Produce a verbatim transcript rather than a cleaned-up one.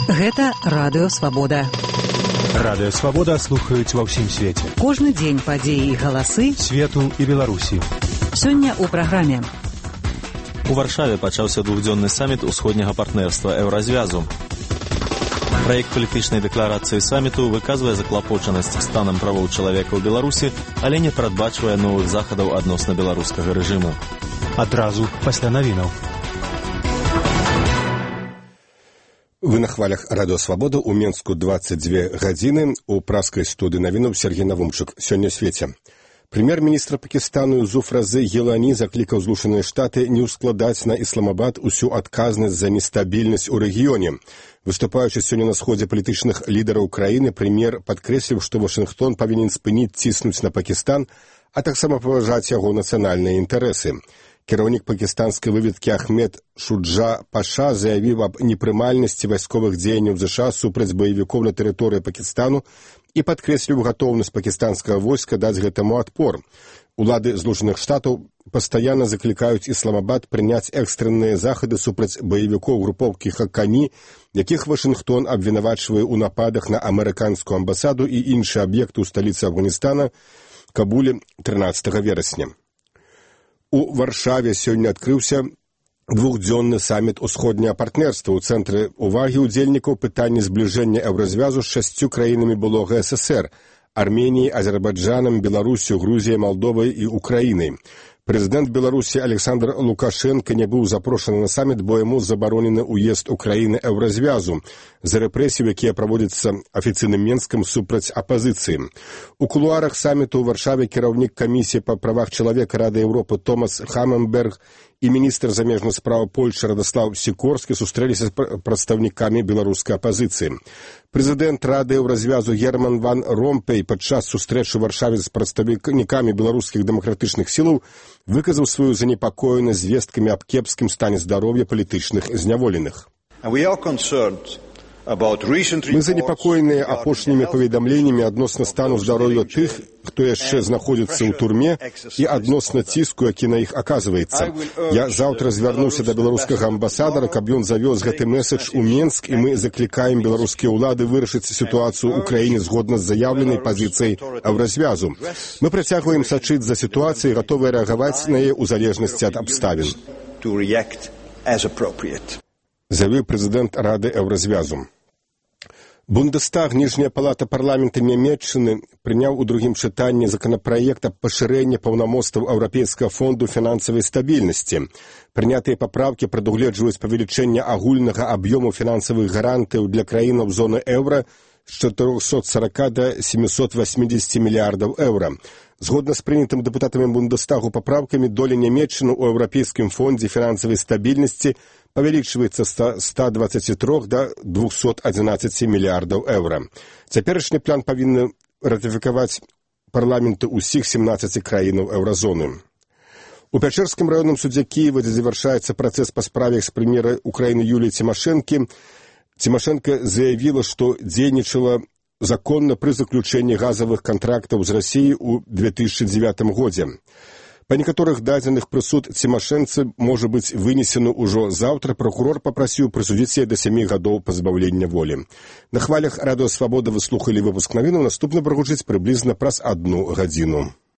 Гэта Радыё Свабода. Радыё Свабода слухаюць ва ўсім свеце. Кожны дзень падзеі і галасы свету і Беларусі. Сёння ў праграме. У Варшаве пачаўся двухдзённы саміт усходняга партнерства Еўразвязу. Праект палітычнай дэкларацыі саміту выказвае заклапочанасць станам правоў чалавека ў Беларусі, але не прадбачвае новых захадаў адносна беларускага рэжыму. Адразу пасля навінаў. Вы на хвалях Радыё Свабода ў Менску дваццаць дзве гадзіны. У праскай студыі навінаў Сергей Навумчык. Сёння свеце. Прэм'ер-міністр Пакістану Зуфразы Гелані заклікаў Злучаныя Штаты не ўскладаць на Ісламабад усю адказнасць за нестабільнасць у рэгіёне. Выступаючы сёння на сходзе палітычных лідараў краіны, прэм'ер падкрэсліў, што Вашынгтон павінен спыніць ціснуць на Пакістан, а таксама паважаць яго нацыянальныя інтарэсы. Кіраўнік пакістанскай выведкі Ахмед Шуджа Паша заявіў аб непрымальнасці вайсковых дзеянняў ЗША супраць баевікоў на тэрыторыі Пакістану і падкрэсліў гатоўнасць пакістанскага войска даць гэтаму адпор. Улады Злучаных Штатаў пастаянна заклікаюць Ісламабад прыняць экстрэнныя захады супраць баевікоў групоўкі Хакані, якіх Вашынгтон абвінавачвае ў нападах на амерыканскую амбасаду і іншыя аб'екты ў сталіцы Афганістана Кабуле трынаццатага верасня. У Варшаве сёння адкрыўся двухдзённы саміт усходняга партнерства. У цэнтры увагі ўдзельнікаў пытанні збліжэння Еўразвязу з шасцю краінамі былога СССР – Арменіяй, Азербайджанам, Беларусю, Грузіяй, Малдовай і Украінай. Прэзідэнт Беларусі Александр Лукашенко не быў запрошаны на саміт, бо яму забаронены ўезд у краіны Еўразвязу за рэпрэсіі, якія праводзяцца афіцыйным Менскам супраць апазіцыі. У кулуарах саміту ў Варшаве кіраўнік камісіі па правах чалавека Рады Еўропы Томас Хаменберг і міністр замежных спраў Польшчы Радаслаў Сікорскі сустрэліся з прадстаўнікамі беларускай апазіцыі. Прэзідэнт Рады Еўразвязу Герман ван Ромпей падчас сустрэчы ў Варшаве з прадстаўнікамі беларускіх дэмакратычных сілаў выказаў сваю занепакоенасць звесткамі аб кепскім стане здароўя палітычных зняволеных. Мы занепакоеныя апошнімі паведамленнямі адносна стану здароўя тых, хто яшчэ знаходзіцца ў турме, і адносна ціску, які на іх аказваецца. Я заўтра звярнуся да беларускага амбасадара, каб ён завёз гэты месадж у Менск, і мы заклікаем беларускія ўлады вырашыць сітуацыю ў краіне згодна з заяўленай пазіцыяй Еўразвязу. Мы працягваем сачыць за сітуацыяй, гатовыя рэагаваць на яе ў залежнасці ад абставін. Заявіў прэзідэнт Рады Еўразвязу. Бундестаг, ніжняя палата парламента Нямецчыны, прыняў у другім чытанні законапраект аб пашырэнні паўнамоцтваў Еўрапейскага фонду фінансавай стабільнасці. Прынятыя папраўкі прадугледжваюць павелічэнне агульнага аб'ёму фінансавых гарантыяў для краінаў зоны еўра з чатырохсот сорока да семісот восьмідзесяці мільярдаў еўра. Згодна з прынятым дэпутатамі Бундестагу папраўкамі, доля Нямецчыны ў Еўрапейскім фондзе фінансавай стабільнасці павялічваецца з ста дваццаці трох да двухсот адзінаццаці мільярдаў еўра. Цяперашні план павінны ратыфікаваць парламенты ўсіх семнаццаці краінаў еўразоны. У Пячэрскім раённым судзе Кіева, дзе завяршаецца працэс па справе экс-прэм'ера Украіны Юліі Цімашэнкі, Цімашэнка заявіла, што дзейнічала законна пры заключэнні газавых кантрактаў з Расіяй у две тысячы дзевятым годзе. Па некаторых дадзеных прысуд Цімашэнцы можа быць вынесены ўжо заўтра. Пракурор папрасіў прысудзіць яе да сямі гадоў пазбаўлення волі. На хвалях Радыё Свабода вы слухалі выпуск навінаў. Наступны прагучыць прыблізна праз адну гадзіну.